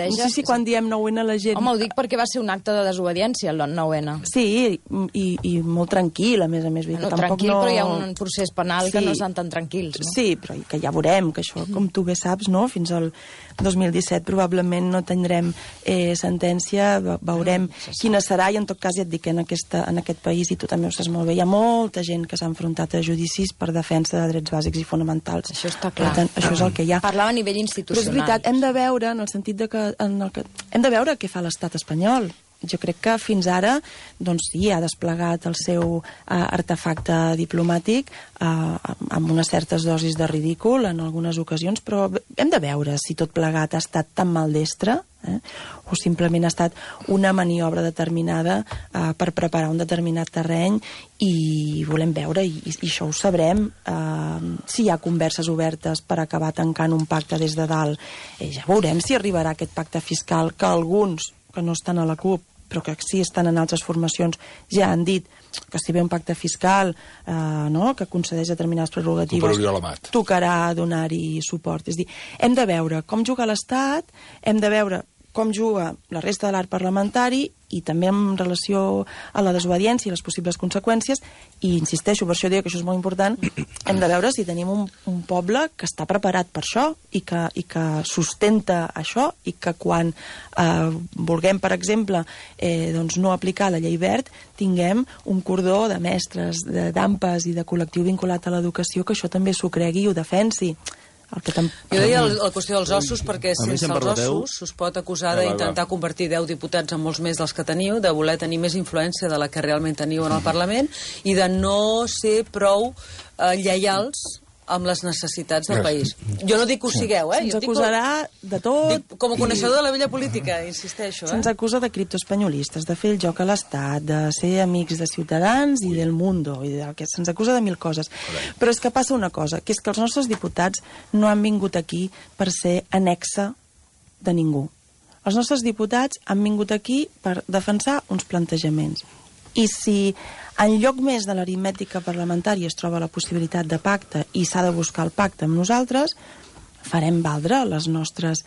No sé si quan diem 9N la gent... Home, ho dic perquè va ser un acte de desobediència, el 9N. Sí, i molt tranquil, a més. Tranquil, però hi ha un procés penal que no estan tan tranquils, no? Sí, però que ja veurem, que això, com tu bé saps, no? Fins al 2017 probablement no tindrem sentència, veurem quina serà, i en tot cas ja et dic que en aquest país, i tu també ho saps molt bé, hi ha molta gent que s'ha enfrontat a judicis per defensa de drets bàsics i fonamentals. Això està clar. Per tant, això és el que hi ha. Parlava a nivell institucional. Però és veritat, hem de veure, en el sentit de que hem de veure què fa l'estat espanyol. Jo crec que fins ara, doncs sí, ha desplegat el seu artefacte diplomàtic amb unes certes dosis de ridícul en algunes ocasions, però hem de veure si tot plegat ha estat tan maldestre o simplement ha estat una maniobra determinada per preparar un determinat terreny, i volem veure, i això ho sabrem, si hi ha converses obertes per acabar tancant un pacte des de dalt. Ja veurem si arribarà aquest pacte fiscal que alguns que no estan a la CUP, però que sí estan en altres formacions, ja han dit que si ve un pacte fiscal que concedeix determinades prerrogatives, tocarà donar-hi suport. És a dir, hem de veure com juga l'Estat, hem de veure com juga la resta de l'arc parlamentari, i també en relació a la desobediència i les possibles conseqüències, i insisteixo, per això dic que això és molt important, hem de veure si tenim un poble que està preparat per això i que sustenta això, i que quan vulguem, per exemple, doncs no aplicar la llei Wert, tinguem un cordó de mestres, d'AMPAs i de col·lectiu vinculat a l'educació que això també s'ho cregui i ho defensi. Jo deia la qüestió dels ossos perquè sense els ossos us pot acusar d'intentar convertir 10 diputats en molts més dels que teniu, de voler tenir més influència de la que realment teniu en el Parlament, i de no ser prou lleials amb les necessitats del país. Jo no dic que ho sigueu, Se'ns acusarà de tot. Com a coneixedor de la vella política, insisteixo. Se'ns acusa de criptoespanyolistes, de fer el joc a l'Estat, de ser amics de Ciutadans i del Mundo, i que se'ns acusa de 1000 coses. Però és que passa una cosa, que és que els nostres diputats no han vingut aquí per ser annexa de ningú. Els nostres diputats han vingut aquí per defensar uns plantejaments. I si en lloc més de l'aritmètica parlamentària es troba la possibilitat de pacte i s'ha de buscar el pacte amb nosaltres, farem valdre els nostres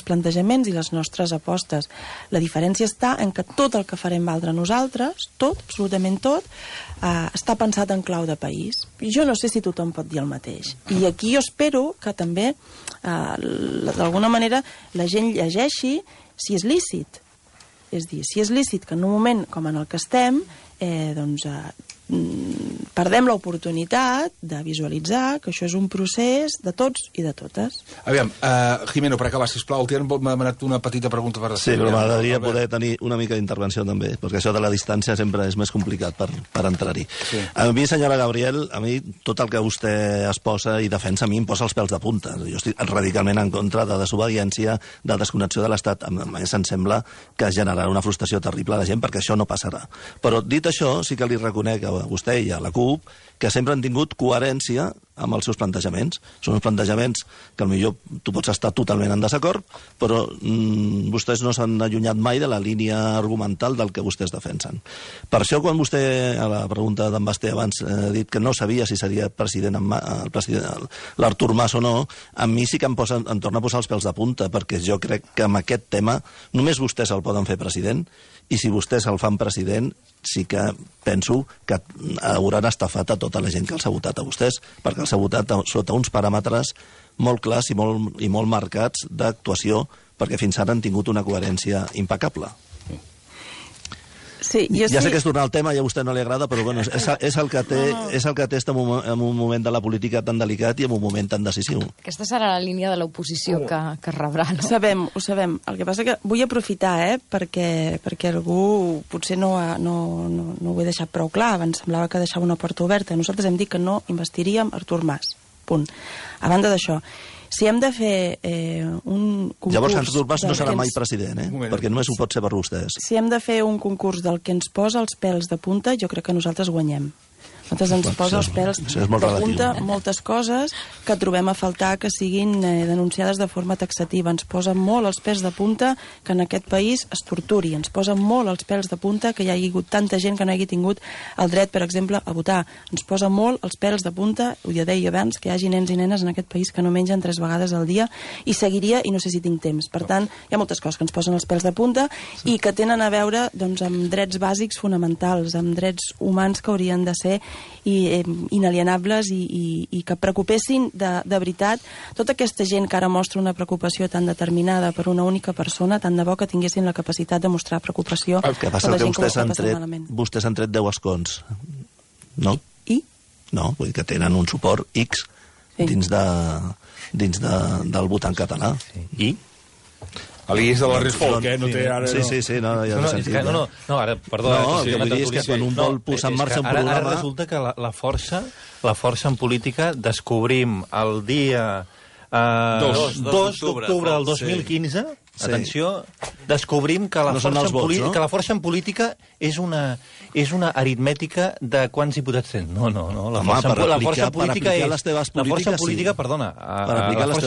plantejaments i les nostres apostes. La diferència està en que tot el que farem valdre nosaltres, tot, absolutament tot, està pensat en clau de país. Jo no sé si tothom pot dir el mateix. I aquí jo espero que també, d'alguna manera, la gent llegeixi si és lícit. És dir, si és lícit que en un moment com en el que estem, perdem l'oportunitat de visualitzar que això és un procés de tots i de totes. Aviam, Jimeno, per acabar, sisplau, el Tian m'ha demanat una petita pregunta per després. Sí, però m'agradaria poder tenir una mica d'intervenció també, perquè això de la distància sempre és més complicat per entrar-hi. Sí. A mi, senyora Gabriel, a mi tot el que vostè es posa i defensa a mi em posa els pèls de punta. Jo estic radicalment en contra de desobediència, de desconnexió de l'Estat. A més, em sembla que generarà una frustració terrible a la gent perquè això no passarà. Però dit això, sí que li reconec a vostè i a la CUP que sempre han tingut coherència amb els seus plantejaments. Són uns plantejaments que potser tu pots estar totalment en desacord, però vostès no s'han allunyat mai de la línia argumental del que vostès defensen. Per això, quan vostè, a la pregunta d'en Basté abans, ha dit que no sabia si seria president l'Artur Mas o no, a mi sí que em torna a posar els pèls de punta, perquè jo crec que amb aquest tema només vostès el poden fer president, i si vostès el fan president, sí que penso que hauran estafat a tota la gent que els ha votat a vostès, perquè els ha votat sota uns paràmetres molt clars i molt marcats d'actuació, perquè fins ara han tingut una coherència impecable. Sí, ja sé que és tornar al tema i a vostè no li agrada, però bueno, és el que té en un moment de la política tan delicat i en un moment tan decisiu. Aquesta serà la línia de l'oposició que rebrà, no? Ho sabem. El que passa que vull aprofitar, perquè algú potser no ho he deixat prou clar. Abans semblava que deixava una porta oberta. Nosaltres hem dit que no investiríem Artur Mas. Punt. A banda d'això, si hem de fer un concurs... Llavors, Artur Mas no serà mai president, perquè només ho pot ser per vostès. Si hem de fer un concurs del que ens posa els pèls de punta, jo crec que nosaltres guanyem. Nosaltres ens posa els pèls de punta moltes coses que trobem a faltar que siguin denunciades de forma taxativa. Ens posa molt els pèls de punta que en aquest país es torturi. Ens posa molt els pèls de punta que hi hagi hagut tanta gent que no hagi tingut el dret, per exemple, a votar. Ens posa molt els pèls de punta, ho ja deia abans, que hi hagi nens i nenes en aquest país que no mengen 3 vegades al dia, i seguiria, i no sé si tinc temps. Per tant, hi ha moltes coses que ens posen els pèls de punta i que tenen a veure amb drets bàsics fonamentals, amb drets humans que haurien de ser inalienables i que preocupessin de veritat tota aquesta gent que ara mostra una preocupació tan determinada per una única persona, tant de bo que tinguessin la capacitat de mostrar preocupació per la gent que ho està passant malament. Vostès han tret 10 escons, no? I? No, vull dir que tenen un suport X dins del votant català. I? L'I és de la Resfolc, no té ara... Sí, no, ja no sentit. No, ara, perdó. No, el que vull dir és que quan un vol posar en marxa un programa... Ara resulta que la força en política descobrim el dia 2 d'octubre del 2015... Atenció, descobrim que la força en política és una aritmètica de quants diputats tens. No. La força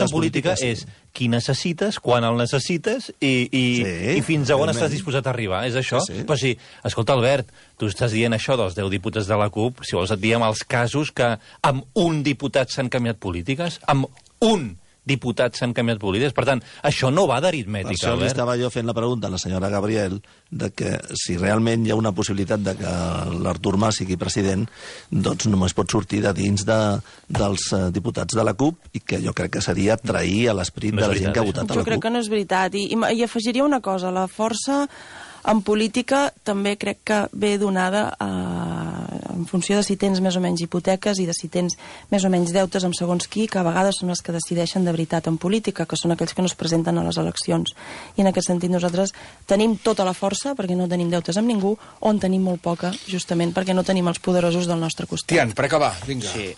en política és qui necessites, quan el necessites i fins a on estàs disposat a arribar. És això? Però sí, escolta, Albert, tu estàs dient això dels 10 diputats de la CUP, si vols et diem els casos que amb un diputat s'han canviat polítiques, amb un diputats s'han canviat polítiques. Per tant, això no va d'aritmètica, Albert. Per això li estava jo fent la pregunta a la senyora Gabriel de que si realment hi ha una possibilitat de que l'Artur Mas sigui president, doncs només pot sortir de dins dels diputats de la CUP, i que jo crec que seria trair a l'esperit de la gent que ha votat a la CUP. Jo crec que no és veritat. I afegiria una cosa. La força en política també crec que ve donada en funció de si tens més o menys hipoteques i de si tens més o menys deutes amb segons qui, que a vegades són els que decideixen de veritat en política, que són aquells que no es presenten a les eleccions. I en aquest sentit nosaltres tenim tota la força, perquè no tenim deutes amb ningú, on tenim molt poca, justament perquè no tenim els poderosos del nostre costat. Tian, per acabar, vinga. Sí,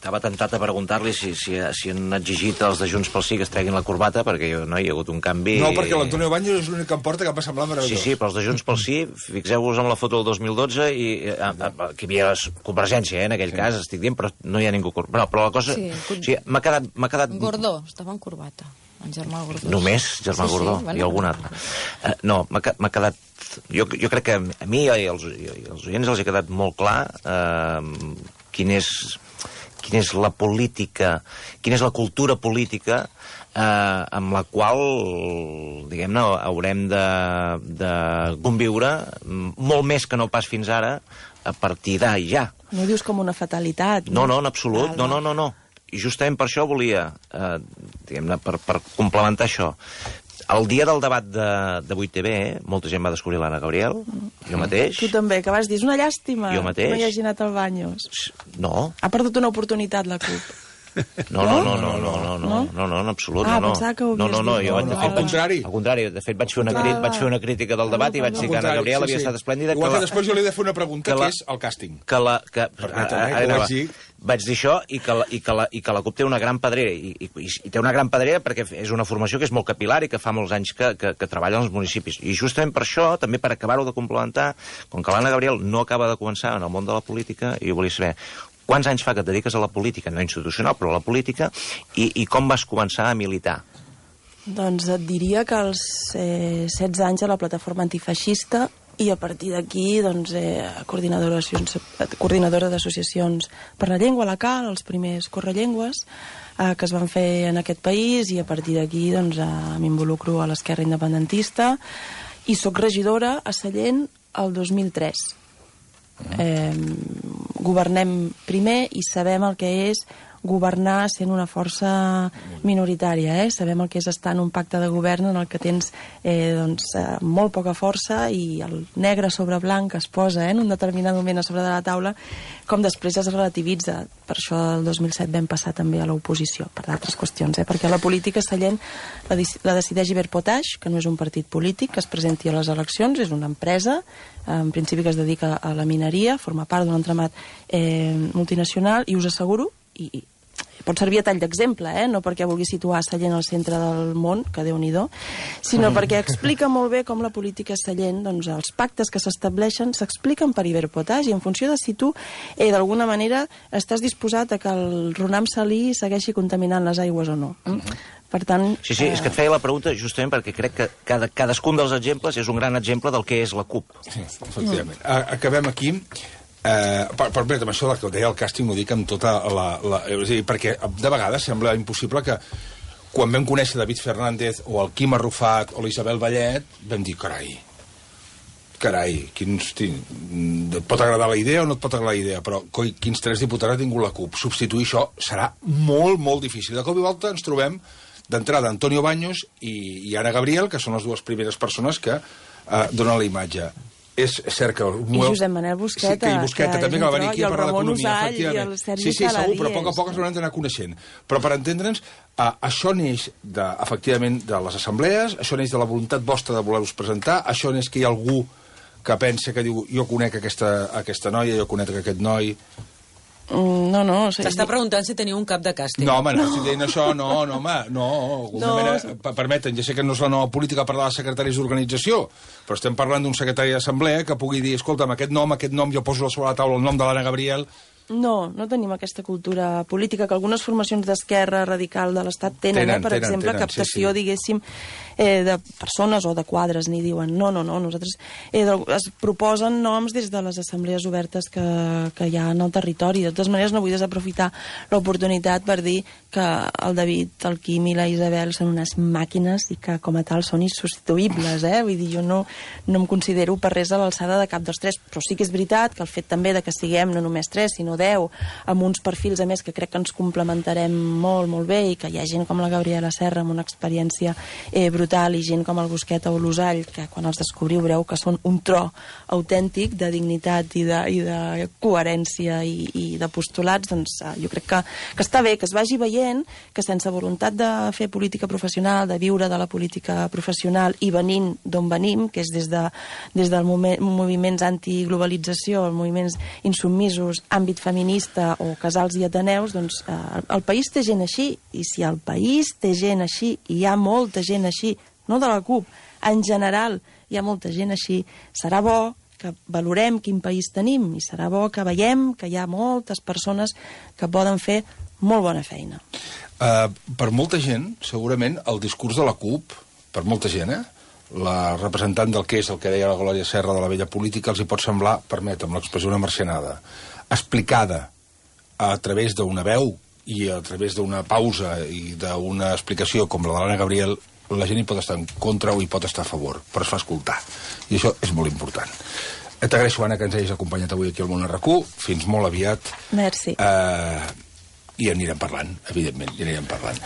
estava tentat a preguntar-li si han exigit els de Junts pel Sí que es treguin la corbata, perquè hi ha hagut un canvi... No, perquè l'Antonio Baños és l'únic que em porta, que em va semblar meravellós. Sí, però els de Junts pel Sí, fixeu-vos en la foto del 2012, i que hi havia convergència, en aquell cas, estic dient, però no hi ha ningú... Però la cosa... Sí, o sigui, m'ha quedat... Gordó, estava en corbata, en Germà Gordó. Només Germà Gordó, i algun altre. No, m'ha quedat... Jo crec que a mi i als oients els ha quedat molt clar quina és la política, quina és la cultura política amb la qual, diguem-ne, haurem de conviure molt més que no pas fins ara, a partir d'ara i ja. No ho dius com una fatalitat. No, en absolut, no. I justament per això volia, diguem-ne, per complementar això, el dia del debat de 8TV, molta gent va descobrir l'Anna Gabriel, jo mateix. Tu també, que vas dir, és una llàstima jo mateix. No hi hagi anat al Baños. No. Ha perdut una oportunitat, la CUP. No, en absolut, no. Pensava que ho havies dit. Al contrari. Al contrari, de fet vaig fer una crítica del debat i vaig dir que Anna Gabriel havia estat esplèndida. Igual que després jo li he de fer una pregunta, que és el càsting. Vaig dir això i que la CUP té una gran pedrera, i té una gran pedrera perquè és una formació que és molt capilar i que fa molts anys que treballa als municipis. I justament per això, també per acabar-ho de complementar, com que l'Anna Gabriel no acaba de començar en el món de la política, jo volia saber quants anys fa que et dediques a la política, no institucional, però a la política, i com vas començar a militar? Doncs et diria que als 16 anys a la plataforma antifeixista, i a partir d'aquí, doncs, coordinadora d'associacions per la llengua, la CAL, els primers correllengües que es van fer en aquest país, i a partir d'aquí doncs, m'involucro a l'esquerra independentista, i soc regidora a Sallent el 2003. Governem primer i sabem el que és governar sent una força minoritària, sabem el que és estar en un pacte de govern en el que tens molt poca força i el negre sobre blanc es posa en un determinat moment a sobre de la taula, com després es relativitza. Per això el 2007 vam passar també a l'oposició, per d'altres qüestions, perquè la política Sallent la decideix Iberpotash, que no és un partit polític, que es presenti a les eleccions, és una empresa, en principi que es dedica a la mineria, forma part d'un entramat multinacional, i us asseguro, i pot servir a tall d'exemple, no perquè vulgui situar Sallent al centre del món, que Déu-n'hi-do, sinó perquè explica molt bé com la política Sallent, doncs els pactes que s'estableixen s'expliquen per Iberpotash, i en funció de si tu d'alguna manera estàs disposat a que el Ronam Salí segueixi contaminant les aigües o no. Per tant... Sí, és que et feia la pregunta justament perquè crec que cadascun dels exemples és un gran exemple del que és la CUP. Sí, efectivament. Acabem aquí. Però amb això que deia el càsting ho dic amb tota és a dir, perquè de vegades sembla impossible que quan vam conèixer David Fernández o el Quim Arrufat o l'Isabel Vallet vam dir, carai, et pot agradar la idea o no et pot agradar la idea, però quins 3 diputats ha tingut la CUP, substituir això serà molt, molt difícil. De cop i volta ens trobem d'entrada Antonio Baños i Anna Gabriel, que són les dues primeres persones que donen la imatge. És cert que... I Josep Manel Busqueta, sí, i Busqueta també, que va venir aquí a parlar d'economia, efectivament. I el Sergi Caladies. Segur, però a poc a poc ens haurem d'anar coneixent. Però per entendre'ns, això neix, efectivament, de les assemblees, això neix de la voluntat vostra de voler-vos presentar, això neix que hi ha algú que pensa que diu, jo conec aquesta noia, jo conec aquest noi... No. T'està preguntant si teniu un cap de càsting. No, home, no estic dient això, permeten, ja sé que no és la nova política parlar de secretaris d'organització, però estem parlant d'un secretari d'assemblea que pugui dir, escolta'm, aquest nom, jo poso sobre la taula el nom de l'Anna Gabriel. No tenim aquesta cultura política que algunes formacions d'esquerra radical de l'Estat tenen, per exemple, captació, diguéssim, de persones o de quadres, n'hi diuen. No, nosaltres es proposen noms des de les assemblees obertes que hi ha en el territori. De totes maneres, no vull desaprofitar l'oportunitat per dir que el David, el Quim i la Isabel són unes màquines i que, com a tal, són insubstituïbles, Vull dir, jo no em considero per res a l'alçada de cap dels 3, però sí que és veritat que el fet també de que siguem no només 3, sinó 10, amb uns perfils, a més, que crec que ens complementarem molt, molt bé, i que hi ha gent com la Gabriela Serra amb una experiència brutal, i gent com el Busqueta o l'Usall, que quan els descobriu veureu que són un tro autèntic de dignitat i de coherència i de postulats. Doncs jo crec que està bé que es vagi veient que sense voluntat de fer política professional, de viure de la política professional i venint d'on venim, que és des dels moviments antiglobalització, els moviments insubmisos, àmbit feminista o casals i ateneus, doncs el país té gent així, i si el país té gent així, i hi ha molta gent així, no de la CUP, en general hi ha molta gent així, serà bo que valorem quin país tenim, i serà bo que veiem que hi ha moltes persones que poden fer molt bona feina. Per molta gent, segurament, el discurs de la CUP, per molta gent, la representant del que és el que deia la Glòria Serra de la vella política, els hi pot semblar, permetem l'expressió, una marcianada, explicada a través d'una veu i a través d'una pausa i d'una explicació com la de l'Anna Gabriel, la gent hi pot estar en contra o hi pot estar a favor, però es fa escoltar. I això és molt important. T'agraeixo, Anna, que ens hagis acompanyat avui aquí al Món RQ. Fins molt aviat. Merci. I anirem parlant, evidentment, i anirem parlant.